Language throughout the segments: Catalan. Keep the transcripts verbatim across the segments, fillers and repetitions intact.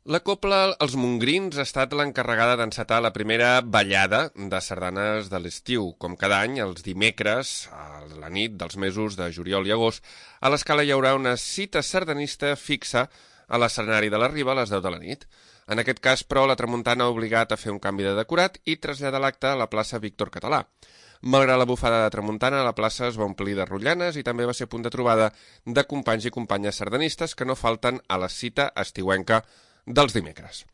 La Cobla Els Montgrins ha estat l'encarregada d'encetar la primera ballada de sardanes de l'estiu. Com cada any, els dimecres, a la nit dels mesos de juliol i agost, a l'Escala hi haurà una cita sardanista fixa a l'escenari de la Riba a les deu de la nit. En aquest cas, però, la Tramuntana ha obligat a fer un canvi de decorat i traslladar l'acte a la plaça Víctor Català. Malgrat la bufada de tramuntana, la plaça es va omplir de rotllanes i també va ser punt de trobada de companys i companyes sardanistes que no falten a la cita estiuenca dels dimecres.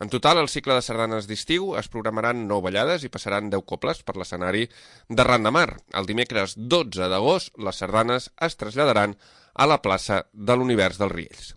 En total, al cicle de sardanes d'estiu es programaran nou ballades i passaran deu cobles per l'escenari de Ran de Mar. El dimecres dotze d'agost, les sardanes es traslladaran a la plaça de l'Univers dels Riells.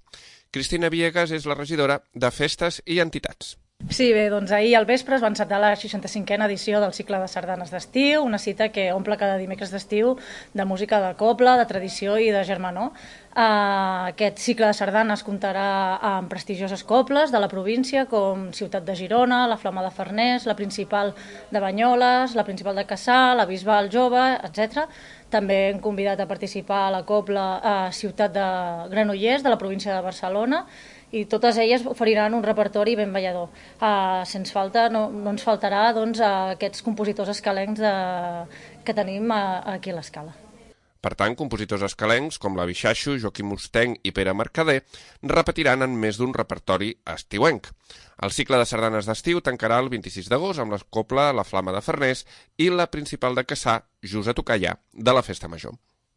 Cristina Viegas és la regidora de Festes i Entitats. Sí, bé, doncs ahir al vespre es va encetar la seixanta-cinquena edició del cicle de sardanes d'estiu, una cita que omple cada dimecres d'estiu de música de cobla, de tradició i de germanor. Uh, aquest cicle de sardanes comptarà amb prestigioses cobles de la província com Ciutat de Girona, la Flama de Farners, la Principal de Banyoles, la Principal de Cassà, la Bisbal Jove, etcètera. També hem convidat a participar a la cobla a Ciutat de Granollers, de la província de Barcelona, i totes elles oferiran un repertori ben ballador. Uh, sens falta, no, no ens faltarà doncs, uh, aquests compositors escalencs de, que tenim uh, aquí a l'Escala. Per tant, compositors escalencs com la Bixaixo, Joaquim Mustenc i Pere Mercader repetiran en més d'un repertori estiuenc. El cicle de sardanes d'estiu tancarà el vint-i-sis d'agost amb la cobla La Flama de Farners i la Principal de Cassà, Just a tocar ja, de la Festa Major.